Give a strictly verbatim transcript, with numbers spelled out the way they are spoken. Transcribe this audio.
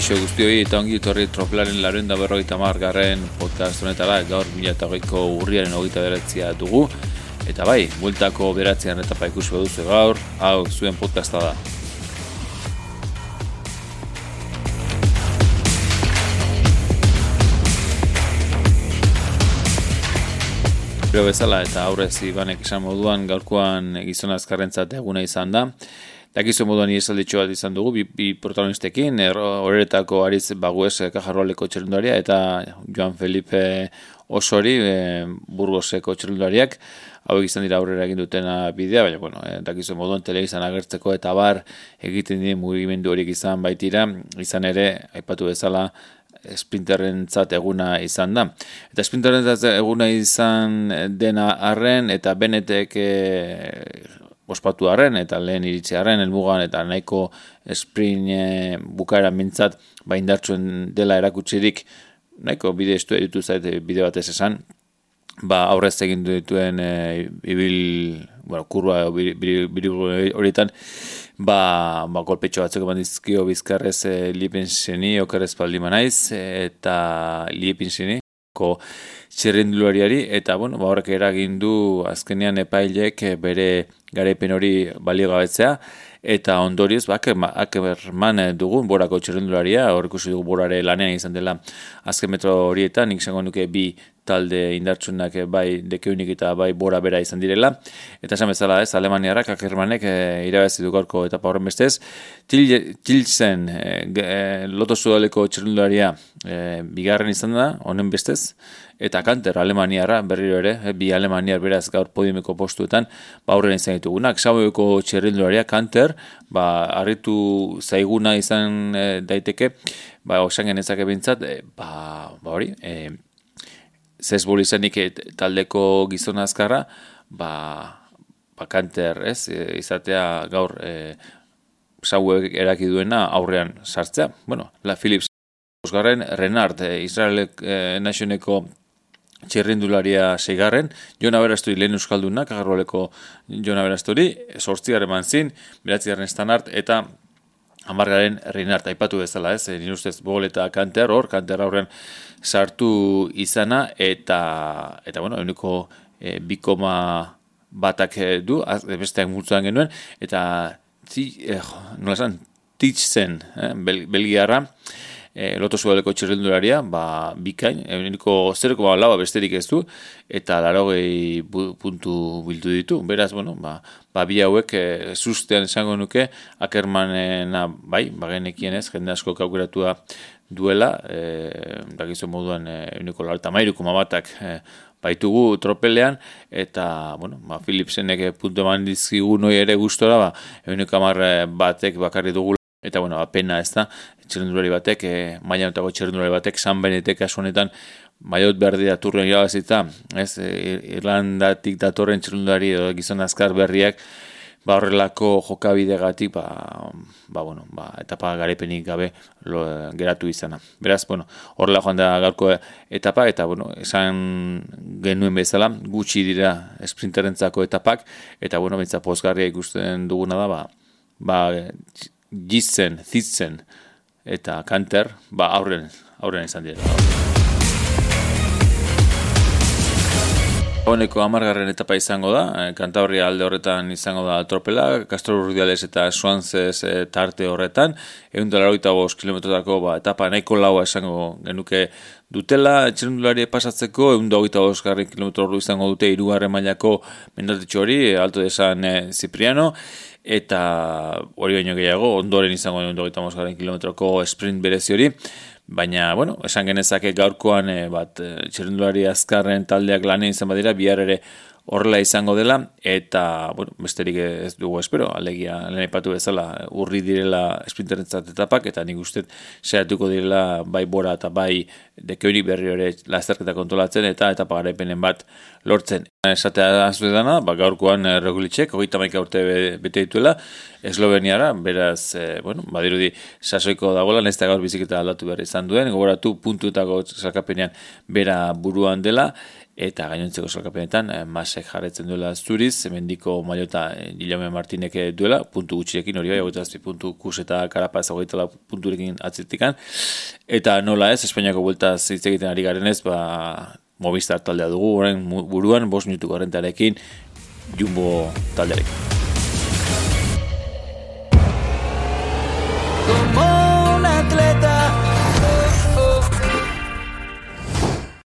Kaixo guztioi eta ongi etorri Tropelaren laurehun eta berrogeita hamar garren podcast honetara. Gaur mila eta hogeiko urriaren hogeita bederatzia dugu. Eta bai, bueltako bederatzian etapa ikusi baduzu gaur, hau zuen podcasta da. Gero bezala eta aurrez Ibanek esan moduan gaurkoan gizon azkarrentzat eguna izan da. Dakizu moduan iesalditxo bat izan dugu, bi, bi protagonistekin, horretako Aritz Bagues Kajarroaleko txerrundaria eta Joan Felipe Osori e, Burgoseko txerrundariak. Hauek izan dira aurrera egin dutena bidea, baina bueno, e, dakizu moduan telebistan agertzeko eta bar egiten dien mugimendu horiek izan baitira, izan ere, aipatu bezala, sprinterrentzat eguna izan da. Eta sprinterrentzat eguna izan dena arren eta Benetek e, ospatu arren eta lehen iritsi arren helmugan eta nahiko sprint e, bukaera mintzat baindartsuen dela erakutsirik nahiko bide estu editu zait bide batez esan, ba aurrez egin dituen e, ibil, bueno, kurba biri horietan ba, ba golpetxo batzuk eman dizkio bizkarrez e, Liepenseni okerrez paldi manaiz eta Liepenseni ko txerrendulariari eta bueno, ba horrek eragin du azkenean epailek bere garaipen hori baliogabetzea eta ondorioz ba Ackerman dugun Borako txerrendularia, hor ikusi dugu Borare lanean izan dela azken metro horietan, nik izango nuke bi talde indartsuenak bai Dekeunik eta bai Bora bera izan direla eta esan bezala ez, Alemaniarrak Ackermanek e, irabazi du gaurko etapa horren bestez. Tilsen e, Loto Sudaleko txerrendularia e, bigarren izan da, honen bestez, eta Kanter Alemaniarra berriro ere, e, bi Alemaniar beraz gaur podiumeko postuetan ba aurren izan ditugunak. Xaboeko txerrendularia Kanter, ba harritu zaiguna izan e, daiteke, ba osan genezake bintzat, e, ba, ba hori, e, zezbol izanik e, taldeko gizon azkarra, ba, ba Kanter, ez, e, izatea gaur e, Xaboek eraki duena aurrean sartzea. Bueno, la Philips Osgarren, Renard, e, Israel e, Nationeko txerrendularia seigarren, Jon Aberasturi lehen euskalduna, Kajarroaleko Jon Aberasturi, sortzigarren manzin, beratzigarren Stanart, eta hamargarren Renard, aipatu bezala, ez, nire ustez Bogol eta Kanter, hor, Kanter aurren sartu izana, eta, eta bueno, euniko e, bikoma batak du, az, besteak multzuan genuen, eta, zi, eh, nola esan, Titzen, eh, Bel, Belgiarra, E, Loto Sudaleko txerrendularia, ba, bikain, euniko zero koma lau besterik ez du, eta larogei puntu bildu ditu. Beraz, bueno, ba, ba bi hauek e, sustean esango nuke, Ackermanena, bai, bagenekien ez, jende asko kaukeratua duela, e, dakizu moduan euniko larta mairu koma batak e, baitugu tropelean, eta, bueno, ba, Philipsenek puntu eman dizkigu noi ere gustora, ba, euniko hamar batek bakarri dugu. Eta, bueno, apena ez da, txerrendulari batek, e, mailanotako txerrendulari batek, San Benetek kasu honetan, maiot berdi daturren irabazita, ez, e, Irlandatik datorren txerrendulari edo gizon azkar berriak, ba horrelako jokabidegatik, ba, ba, bueno, ba, etapa garaipenik gabe lo, geratu izana. Beraz, bueno, horrela joan da gaurko etapa, eta, bueno, esan genuen bezala, gutxi dira sprinterentzako etapak, eta, bueno, bentsa pozgarria ikusten duguna da, ba, ba, Gitzen, Zitzen eta Kanter, ba aurren, aurren izan dira. Honeko hamargarren etapa izango da, Kantabria alde horretan izango da tropela, Castro Urdiales eta Suanzez e, tarte horretan, ehun eta laurogeita bost kilometrotako ba, etapa nahiko laua esango genuke dutela, txerrendulari pasatzeko, ehun eta hogeita bost kilometro ordu izango dute hirugarren mailako mendatetxo hori, Alto de San e, Cipriano, eta hori baino gehiago, ondoren izango ehun eta hogeita bost kilometroko sprint berezi hori, baina, bueno, esan genezake gaurkoan e, bat e, txerrendulari azkarren taldeak lanean izan badira, bihar ere horrela izango dela, eta, bueno, besterik ez dugu espero, alegia lehen aipatu bezala urri direla sprinterentzat etapak, eta nik uste saiatuko direla bai Bora eta bai Dekeunik berri hori lasterketa kontrolatzen, eta etapa garaipenen bat lortzen. Esatea azue dana, ba, gaurkoan e, Rogliček, hogeita hamaika urte bete dituela, Esloveniara, beraz, e, bueno, badirudi sasoiko dagoela, nahiz eta gaur biziketa aldatu behar izan duen, gogoratu puntuetako sailkapenean bera buruan dela, eta gainontzeko salkapenetan eh, Masek jarretzen duela zuriz, mendiko Mailota eh, Guillaume Martinek duela, puntu gutxirekin hori bai, hogeita zazpi puntu Kus eta Carapaz hogeita lau punturekin atzetikan, eta nola ez, Espainiako bueltaz hitz egiten ari garenez, ba, Movistar taldea dugu, orain buruan, bost minutuko rentarekin, Jumbo taldearekin.